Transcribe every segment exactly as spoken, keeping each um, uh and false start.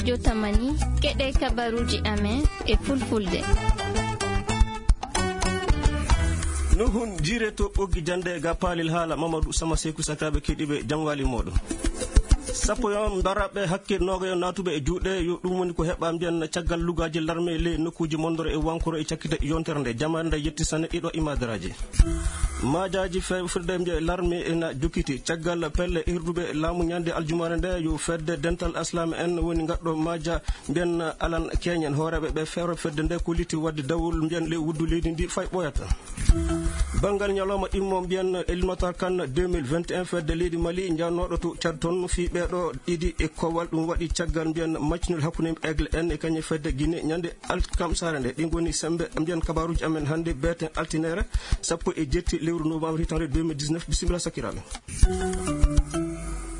Jotamani, keɗe kabaruuji amen e fulfulde. Nuhun jiire to ɓoggi jannde ga paalel haala Mamadou Sama Seku, sakiraaɓe keɗiiɓe, jam waali mooɗon. Sappo yon mbaraɓe hakke nooga yon naatuɓe e juuɗe, yo ɗum woni ko heɓa mbiyan caggal lugaaji larme ley nokkuuji Mondoro e Wankoro e cakkite yontere nde. Jamaare nde yetti sanne ɗiɗo imadaraaji. Maajaaji fe-, firde mbiya larme ena jokkiti. Caggal pelle hirduɓe laamu ñande aljumaare nde, yo fedde dental aslame en woni ngaɗɗo maaja mbiyan alan keñen. Hooreeɓe ɓe feere fedde nde kolliti wadde dawol mbiyan ley wuddu leydi ndi fay ɓooyata. Banngal ñalawma ɗimmo mbiyan éliminatoire CAN deux mille vingt et un, fedde leydi Mali njannoɗo to Tchad toon fii ɓeeɗo ɗiɗi e kowal. Ɗum waɗi caggal mbiyan match nul hakkunde Aigle en e kañum fedde Guinée ñande alkamsaare nde. Ɗi ngoni sembe mbiyan kabaruuji amen hannde beeten altinere sappo e jetti lewru novembre hitande deux mille dix-neuf. Bisimilla sakiraaɓe.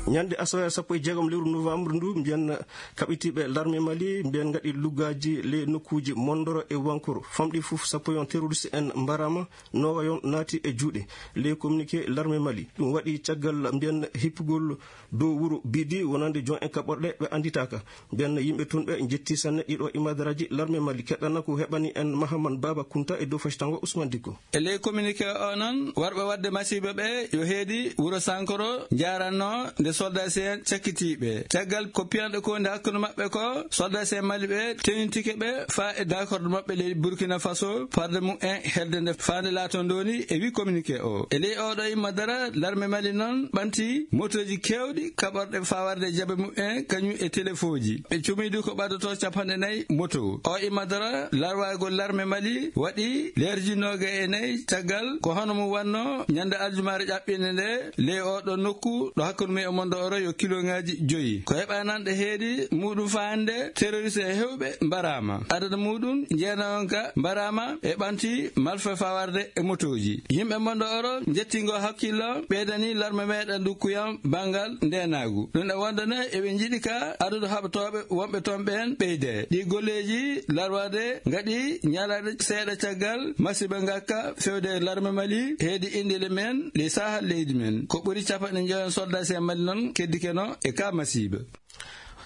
Ñande asawe sappo e jeegom lewru novembre ndu, mbiyan kaɓitiiɓe larme Mali, mbiyan ngaɗi lugaaji ley nokkuuji Mondoro e Wankoro. Famɗi fof sappo yon terroriste en mbarama, nooga yon naati e juuɗe. Ley communiqué larme Mali, ɗum waɗi caggal mbiyan hippugol dow wuro Bidi wonande jon en kaɓorɗe ɓe annditaaka. Mbiyan yimɓe toon ɓe njetti sanne ɗiɗo imadaraaji larme Mali. Keɗɗana ko heɓani en Mahaman Baba Kunta e dow facitango Ousmane Dikko. E ley communiqué o noon, warɓe waɗde masiiba ɓe yo heedi wuro Sankoro njaaranno nde soldat C N cakkitiiɓe. Caggal ko piyanɗo ko nde hakkunde maɓɓe ko, soldat C N Mali ɓe tenintike ɓe faa e d'accord maɓɓe ley Burkina Faso, farde mum en helde nde faande laato ndoni e wi communiqué o. E ley oɗo imma dara, larme Mali noon ɓanti motooji keewɗi kaɓorɗe faa warde jabe mum en kañum e telefooji. Ɓe cumiidi ko ɓaddoto capanɗe nayi moto. O imma dara, larwaagol larme Mali waɗi leerji nooga e nayi caggal ko hono mum wanno ñande aljumaare ƴaɓɓinde nde ley oɗo nokku ɗo hakkunde mum e Mondo Oro yo kiloŋaaji joyi. Ko heɓa nan ɗe heedi muɗum faande terroriste e hewɓe mbaraama. Adada muɗum jeenayon ka mbaraama e ɓanti malfa fawarde e motooji. Yimɓe Mondo Oro njettingo hakkillo ɓeydani larme meɗen ndukkuyam banngal ndenaagu. Ɗum e wonde ne eɓe njiɗi ka adadu haɓatooɓe wonɓe toon ɓeen ɓeyde. Ɗi golleeji larwade ngaɗi ñalaɗe seeɗa caggal masiiba ngakka fewde e larme Mali heedi indile men ley sahal leydi men. Ko ɓuri capanɗe njoyon soldat C N Mali noon keddikeno e ka masiiba.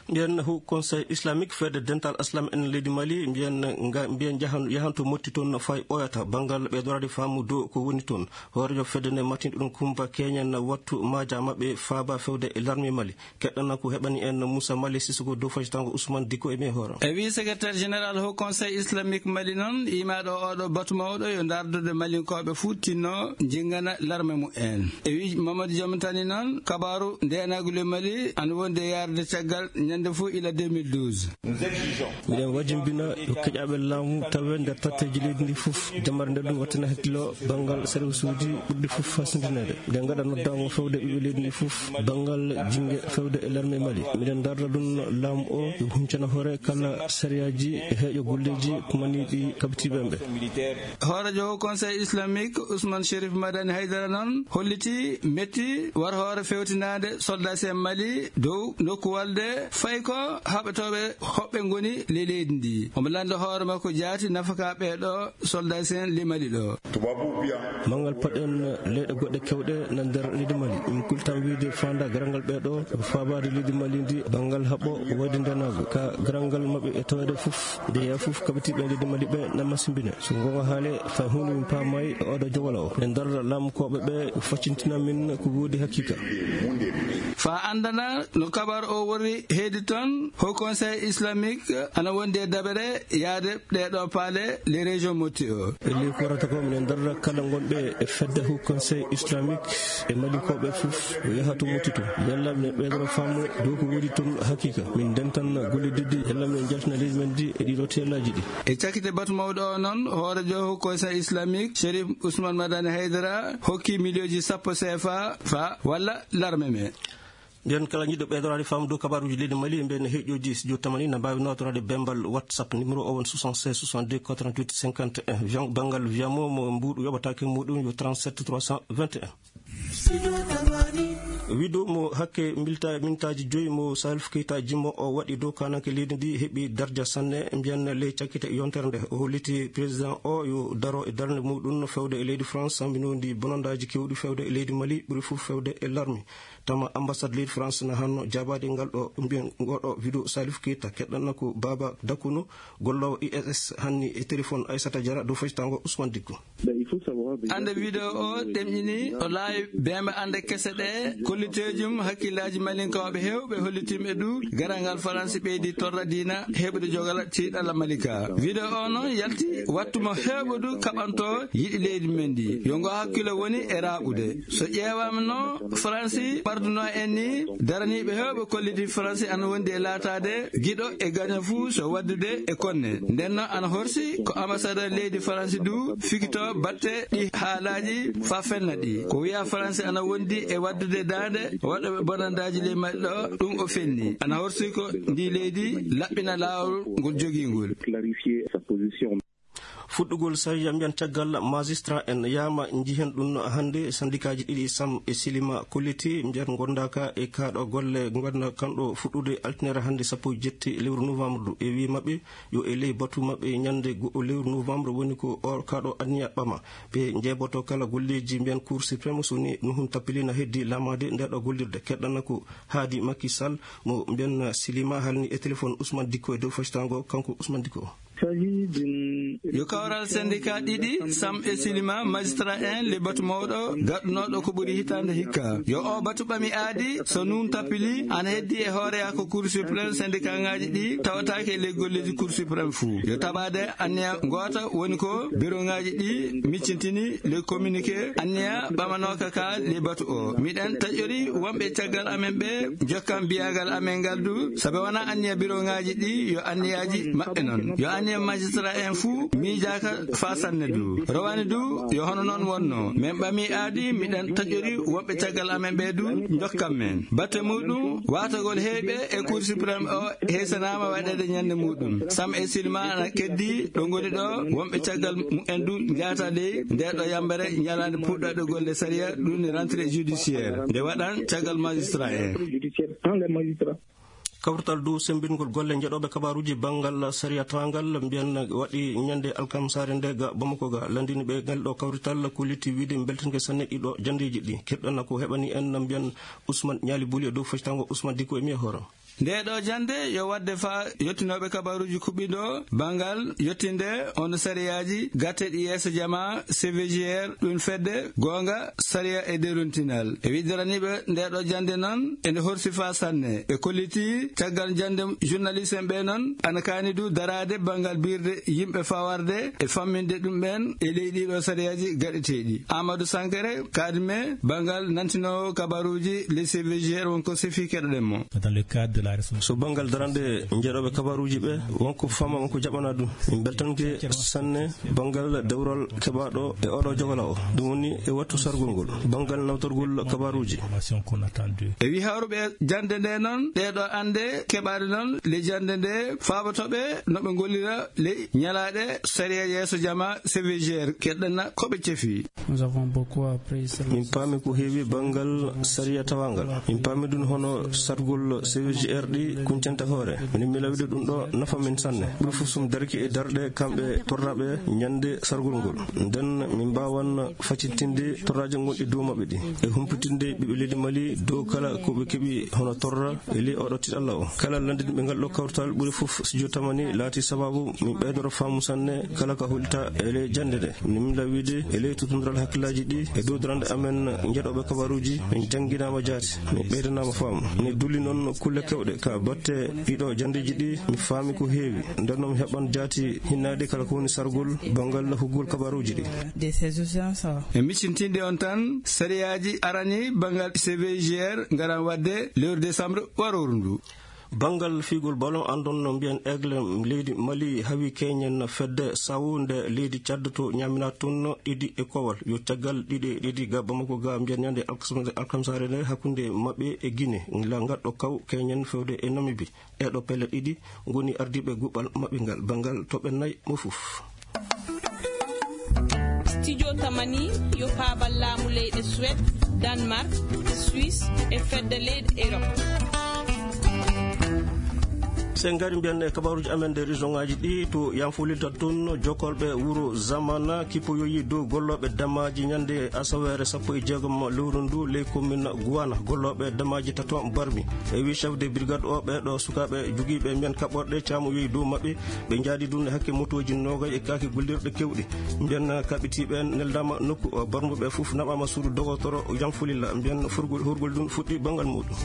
Mbiyen Haut Conseil Islamique fedde dental aslam en leydi Mali, mbiyen nga, mbiyen jahan-, yahanto motti toon no fay ɓooyata banngal ɓeydoraade faamu dow ko woni toon. Hooreejo fedde nde matinɗo ɗum Kumba Keñen wattu maaja maɓɓe faaba fewde e larme Mali. Keɗɗana ko heɓani en Moussa Mali Sissoko dow faytango Ousmane Dikko e men hoore. E wi secrétaire général Haut Conseil Islamique Mali noon, imaaɗo oɗo batu mawɗo yo ndardude Malinkooɓe fuu tinno jinngana larme mumen. E wi Mamadou Diom Tani noon, kabaaru ndeenagu le Mali ana wondi e yaarde caggal ñande fuu ila deux mille douze. Miɗen wajimbina yo keƴaaɓe laamu tawe nder tatteeji leydi ndi fof, jamare nde ɗum wattina hakkillo banngal service uji ɓurɗi fof fasindineede. Nde ngaɗa noddaango fewde ɓiɓɓe leydi ndi fof, banngal jinnge fewde e larme Mali. Miɗen darra ɗum laamu o yo huncana hoore kala sariyaaji e heeƴo golleeji kumaniiɗi kabitiiɓe ɓe. Hooreejo Haut Conseil Islamique Ousmane Chérif Madani Haydara noon holliti metti war hoore fewtinaade soldat en Mali dow nokku walde fay ko haɓatooɓe hoɓɓe ngoni le leydi ndi. Omo lannda hoore makko jaati nafaka ɓeeɗo soldat en le Mali ɗo. Manngal paɗen leyɗe goɗɗe kewɗe na nder leydi Mali. Min kultan wiide fanda garangal ɓeeɗo faabaade leydi Mali ndi banngal haɓɓo wayde ndenaagu. Ka garangal maɓɓe e taweede fof, nde yaa fof kabitiiɓe leydi Mali ɓe na masimbine. So ngonga haale, fay huunde min paamay e oɗo jowala o. Min darra laamukooɓe ɓe, faccintina min ko woodi hakiika. Fa anndana no kabar o wori heedi toon, Haut Conseil Islamique ana wondi e dabere yaade ɗeeɗo paale les régions motti o. E ley ko warata ko, minen darra kala ngonɓe e fedde Haut Conseil Islamique e Malinkooɓe fof, o yaha to motti to. Yalla minen ɓeydoro faamu dow ko woodi toon hakiika. Min ndentan golle diddi, yalla minen jaltina leydi men ndi e ɗiɗo teelaaji ɗi. E cakkite batu mawɗo o noon, hooreejo Haut Conseil Islamique, Chérif Ousmane Madani Haydara, hokki miliyonji sappo C F A fa walla larme me. Nden kala jiɗɗo ɓeydoraade faamu dow kabaaruuji leydi Mali, mbiyen heɗɗooji studio tamani na mbaawi nootoraade bembal WhatsApp, numéro o won soixante-seize soixante-deux quatre-vingt-huit cinquante et un. Vian-, banngal Viamo mo mbuuɗu yoɓataake muɗum yo trente-sept trois cent vingt et un. Wido mo hakke milta-, mintaaji joyi mo Salif Keita jimmo o waɗi dow kananke leydi ndi heɓi darja sanne, mbiyan ley cakkite yontere nde. O holliti président o yo daro e darnde muɗum fewde e leydi France, sambinondi bonondaaji kewɗi fewde e leydi Mali, ɓuri fof fewde e larmi. Tama ambassade leydi France na hanno jaabaade ngal ɗo mbiyan ngoɗo wido Salif Keita. Keɗɗanna ko Baba Dakuno, golloowo I S S, hanni e téléphone Aissata Diarra dow faytaango Ousmane Dicko. Ande video o ɗemƴini o laawi bembe ande kese ɗe kollitejum hakkillaaji malinkooɓe heewɓe hollitimɓe du garal ngal Faransi ɓeydi torra diina heɓude jogal tiiɗalla Malika. Video o noon yalti wattu mo heewɓe du kaɓanto yiɗi leydi men ndi. Yo ngo hakkilo woni e raaɓude. So ƴeewaama no Faransi ɓarduno en ni, daraniiɓe heewɓe kolliti Faransi ana wondi e laataade giɗo e gaño fuu so waddude e konne. Nden noon ana horsi ko ambassadeur leydi Faransi du fikito batte ɗi haalaaji faa fenna ɗi. Ko wiya Faransi ana wondi e waddude daande waɗooɓe bonandaaji ley maɓɓe ɗo, ɗum o fenni. Ana horsi ko ndi leydi laɓɓina laawol ngol jogii ngol. Fuɗɗugol sariya mbiyan caggal magistrat en yaama njihen ɗum hannde. Sandikaaji ɗiɗi Sam e Silima kolliti mbiyan gondaaka e kaaɗo golle ngonda kanɗo fuɗɗude altinere hannde sappo e jetti lewru novembre. E wi maɓɓe yo e ley batu maɓɓe ñande go'o lewru novembre woni ko o kaaɗo anniya ɓama. Ɓe njeeboto kala golleeji mbiyan Cour suprême so ni nuhun tappilina heddi laamaade nde ɗo gollirde. Keɗɗana ko haadi Macky Sall mo mbiyan Silima halni e téléphone Ousmane Dicko e dow faytaango kanko Ousmane Dicko. Yo kawral syndicat ɗiɗi, Sam e Silima, magistrat en, le batu mawɗo, gaɗunooɗo ko ɓuri hitaande hikka. Yo o batu ɓami aadi, so nun tappili, ana heddi e hooreya ko Cour suprême syndicat ŋaaji ɗi tawataake le golleeji Cour suprême fuu. Yo taɓaade anniya ngoota woni ko biro ŋaaji ɗi miccintini le communiqué anniya ɓamanooka ka le batu o. Miɗen taƴori wonɓe caggal amen ɓe jokkan biyagal amen ngal du, sabe wona anniya biro ŋaaji ɗi yo anniyaaji maɓɓe non. Yo anniya magistrat en fuu miijaaka faa sanne du. Rowani du, yo hono non wonno. Men ɓami aadi, miɗen taƴori wonɓe caggal amen ɓe du, jokkan men. Batte muɗum, waatagol heyɓe e Cour suprême o heysanaama waɗeede ñande muɗum. Sam e Silma ana keddi ɗo ngoni ɗo, wonɓe caggal mumen du njaata ley nde ɗo yambere ñalaande puɗɗoɗe golle sariya, ɗum ni rentrée judiciaire. Nde waɗan caggal magistrat en. Kawrital dow semmbingol golle njeɗooɓe kabaaruuji banngal sariya tawangal mbiyan waɗi ñande alkamsaare nde ga Bamako ga. Lanndini ɓe ngal ɗo kawrital ko litti wiide mbeltanke sanne ɗiɗo janndeeji ɗi. Keɗɗana ko heɓani en mbiyan Ousmane Ñaali Buli e dow fectango Ousmane Dicko e mi e hoore. Nde ɗo jannde yo waɗde faa yottinooɓe kabaaruuji kuɓɓiɗo banngal yottinde on sariyaaji gatteɗi yeeso jama C V G R, ɗum fedde goonga sariya e derontinal. E widdaraniiɓe nde ɗo jannde noon, ene horsi faa sanne. Ɓe kolliti caggal jannde journaliste en ɓe noon, ana kaani du daraade banngal biirde yimɓe fawarde e famminde ɗum ɓeen e ley ɗiɗo sariyaaji gaɗeteeɗi. Amadou Sankare, kaadime banngal nantinoowo kabaruuji le C V G R wonko sefi keɗoɗen mo. Dans le cadre de la réforme. So banngal darande njeɗooɓe kabaruuji ɓe, wonko fama, wonko jaɓana ɗum. Min beltanke sanne banngal dewral keɓaaɗo e oɗo jogala o. Ɗum woni e wattu sargol ngol, banngal nawtorgol kabaruuji. Information qu'on attend d'eux. E wi hawruɓe jannde nde noon, ɗeɗo annde keɓaade noon le jannde nde faabotoɓe no ɓe ngollira le ñalaaɗe sariya yeeso jama C V G R. Keɗɗana ko ɓe cefi. Nous avons beaucoup appris sur la Min paami ko heewi banngal sariya tawangal. Min paami ɗum hono sargol C V G R ɗi kuncanta hoore. Min mi lawide ɗum ɗo nafa min sanne. Ɓuri fof sum darki e darɗe kamɓe torraɓe ñande sargol ngol. Nden min mbaawan facintinde torraaji gonɗi dow maɓɓe ɗi. E humpitinde ɓiɓɓe leydi Mali dow kala ko ɓe keɓi hono torra e ley oɗo tiiɗalla o. Kala lanndinɓe ngal ɗo kawtal ɓuri fof studio tamani laati sababu min ɓeydoro faamu sanne kala ka holita e ley jannde nde. Min lawide e ley tutundiral hakkillaaji ɗi e dow darande amen njeɗooɓe kabaruuji min jannginaama jaati. Min ɓeydanaama faamu. Min dulli noon kulle kewɗe ka batte ɗiɗo janndeeji ɗi. Mi faami ko heewi. Nden noon mi heɓan jaati hinnaade kala ko woni sargol banngal huggol kabaruuji ɗi. De ces urgences. E miccintinde on tan, sariyaaji arani banngal C V G R ngaran waɗde lewru décembre waroru ndu. Banngal fiigol ballon, anndon no mbiyan Aigle leydi Mali hawi keñen fedde sawu nde leydi Tchad to ñamina tun ɗiɗi e kowal. Yo caggal ɗiɗi e ɗiɗi ga Bamako ga mbiyan ñande alkamsa-, alkamsaare nde hakkunde maɓɓe e Guinée. La ngal ɗo kaw keñen fewde e Namibie. E ɗo pelle ɗiɗi ngoni ardiiɓe guɓal maɓɓe ngal banngal toɓɓe nay mo fof. Studio Tamani yo paabal laamu leyɗe Suède. Danemark, Suisse e fedde leyɗe Europe. Sen ngari mbiyan e kabaruuji amen nder région ngaji ɗi to yanfolita toon, jokkolɓe wuro Zamana kipoyoyi dow gollooɓe damaaji ñande asaweere sappo e jeegom lewru ndu ley commune Guwana, gollooɓe damaaji taton barmi. E wi chef de brigade o, ɓeeɗo sukaaɓe jogiiɓe mbiyan kaɓorɗe caamoyoyi dow maɓɓe, ɓe njaadi ɗum e hakke motooji noogay e kaake gollirɗe kewɗe. Mbiyan kaɓitiiɓe neldaama nokku o, barmuɓe fof naɓaama suudu dogotoro Yanfolila, mbiyan forgol, horgol ɗum fuɗɗi banngal muɗum.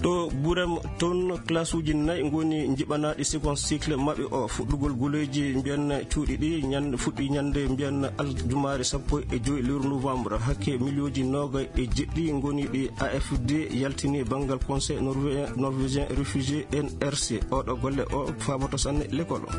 To Burem toon, classe uji nayi ngoni njiɓanaaɗi second cycle maɓɓe o, fuɗɗugol guleeji mbiyan cuuɗi ɗi ñande, fuɗɗi ñande mbiyan aljumaare sappo e joy lewru novembre. Hakke miliyonji noogay e jeɗɗi ngoni ɗi A F D yaltini banngal Conseil norvé-, norvégien réfugié N R C. Oɗo golle o faaboto sanne l'école o.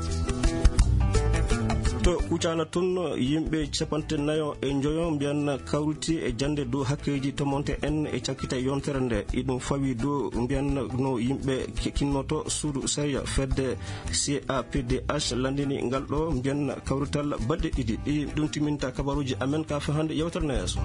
To Kucala toon, yimɓe capanɗe nayo e njoyo mbiyan kawriti e jannde dow hakkeeji tomonte en e cakkita yontere nde. Iɗum fawi dow mbiyan no yimɓe ke-, kinnoto suudu sariya. Fedde C A P D H landini ngal ɗo mbiyan kawrital balɗe ɗiɗi. Ɗi ɗum timinta kabaruuji amen ka fahande yewtere na yeeso.